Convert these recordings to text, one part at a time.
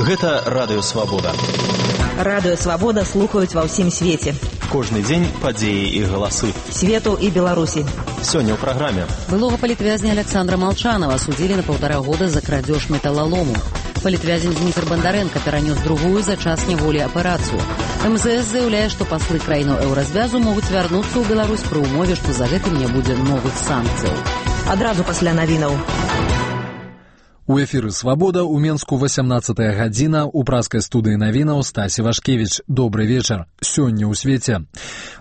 Гэта Радыё Свабода. Радыё Свабода слухаюць ва ўсім свеце. Кожны дзень падзеі і галасы Свету і Беларусі. Сёння ў праграме. Былога палітвязня Александра Молчанова судзілі на 1,5 года за крадзеж металлолому. Палітвязень Дмітрий Бандаренко перанёс другую за час няволі аперацыю. МЗС заяўляе, што паслы краінаў еўразвязу могуць вярнуцца ў Беларусь пры ўмове, што за гэтым не будзе новых санкцыяў. Адразу пасля навінаў. У эфіры «Свабода» у Менску 18 гадзіна, у праскай студыі навінаў Стасі Вашкевіч. Добры вечар. Сёння ў свеце.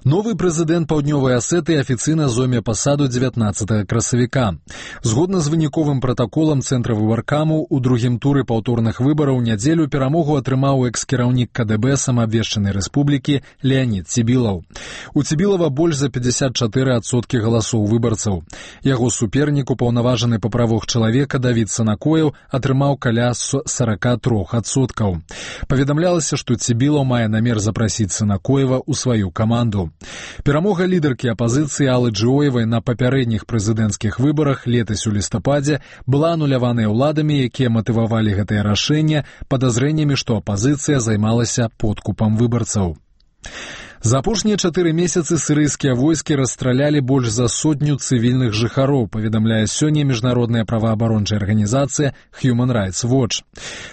Новы прэзідэнт Паўднёвай Асетыі афіцыйна зойме пасаду 19 красавіка. Згодна з выніковым пратаколам Цэнтра выбаркаму, у другім туры паўторных выбараў нядзелю перамогу атрымаў экс-кіраўнік КДБ самаабвешчанай рэспублікі Леанід Цібілаў. У Цібілава больш за 54% галасоў выбарцаў. Яго супернік, упаўнаважаны па правах чалавека Давід Санакоев, атрымаў каля 43%. Паведамлялася, што Цібілаў мае намер запрасіць Санакоева ў сваю каманду. Перамога лідаркі апазіцыі Аллы Джыоевай на папярэдніх прэзідэнцкіх выбарах летась у лістападзе была ануляваная ўладамі, якія матывавалі гэтае рашэнне падазрэннямі, што апазіцыя займалася подкупам выбарцаў. За апошнія 4 месяцы сірыйскія войскі расстралялі больш за 100 цывільных жыхароў, паведамляе сёння міжнародная праваабарончая арганізацыя Human Rights Watch.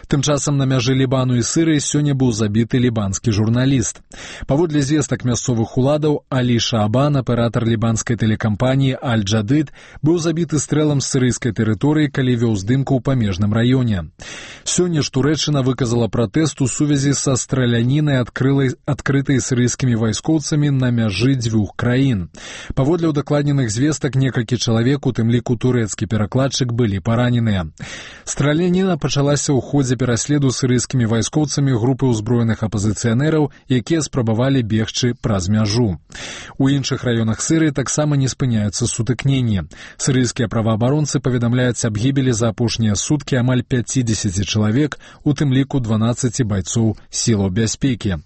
Тым часам на мяжы Лібану і Сірыі сёння быў забіты лібанскі журналіст. Паводле звестак мясцовых уладаў, Алі Шаабан, аператар лібанскай тэлекампаніі Аль-Джадыд, быў забіты стрэлам з сірыйскай тэрыторыі, калі вёў здымку ў памежным раёне. Сёння ж Турэччына выказала пратэст у сувязі са стралянінай, адкрытай сірыйскімі вайскоўцамі на мяжы дзвюх краін. Паводле ўдакладненых звестак, некалькі чалавек, у тым ліку турэцкі перакладчык, былі параненыя. Страляніна пачалася ў ходзе пераследу сірыйскімі вайскоўцамі групы ўзброеных апазіцыянераў, якія спрабавалі бегчы праз мяжу. У іншых раёнах Сірыі таксама не спыняюцца сутыкненні. Сірыйскія праваабаронцы паведамляюць аб гібелі за апошнія суткі амаль 50 чалавек, у тым ліку 12 байцоў сілаў бяспекі.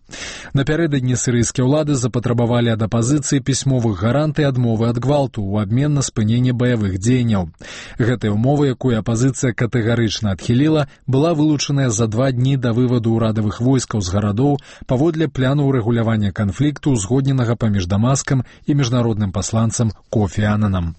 Напярэдадні сірыйскія ўлады запатрабавалі ад апазіцыі пісьмовых гарантый адмовы ад гвалту ў абмен на спыненне баявых дзеянняў. Гэтая ўмова, якую апазіцыя катэгарычна адхіліла, была вылучаная за 2 дні да вываду ўрадавых войскаў з гарадоў паводле пляну ўрэгулявання канфлікту, узгодненага паміж Дамаскам і міжнародным пасланцам Кофі Ананам.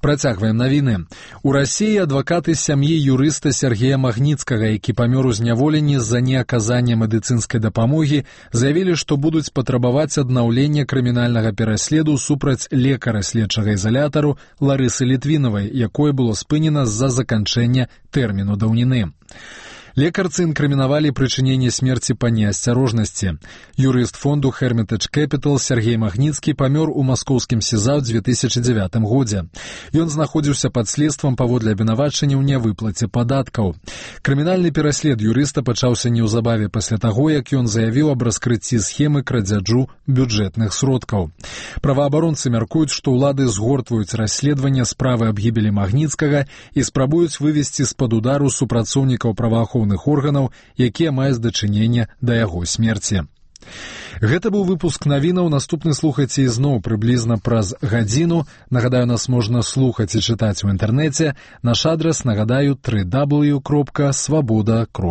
Працягваем навіны. У Расіі адвакаты сям'і юрыста Сергея Магніцкага, які памёр у зняволенні з-за неаказання медыцынскай дапамогі, заявілі, што будуць патрабаваць аднаўлення крымінальнага пераследу супраць лекара следчага ізалятару Ларысы Літвінавай, якое было спынена з-за заканчэння тэрміну даўніны. Лекарцы інкрымінавалі прычыненне смерці па неасцярожнасці. Юрыст фонду Hermitage Capital Сергей Магніцкі памёр у маскоўскім СІЗА ў 2009 годзе. Ён знаходзіўся пад следствам паводле абвінавачання ў нявыплаце падаткаў. Крымінальны пераслед юрыста пачаўся неўзабаве пасля таго, як ён заявіў аб раскрыцці схемы крадзяжу бюджэтных сродкаў. Праваабаронцы мяркуюць, што ўлады згортваюць расследаванне справы аб гібелі Магніцкага і спрабуюць вывесці з-пад удару супрацоўнікаў праваахоўных органаў, якія маюць дачыненне да яго смерці. Гэта быў выпуск навінаў. Наступны слухайце ізноў прыблізна праз гадзіну. Нагадаю, нас можна слухаць і чытаць у інтэрнэце. Наш адрас, нагадаю, www.swaboda.org.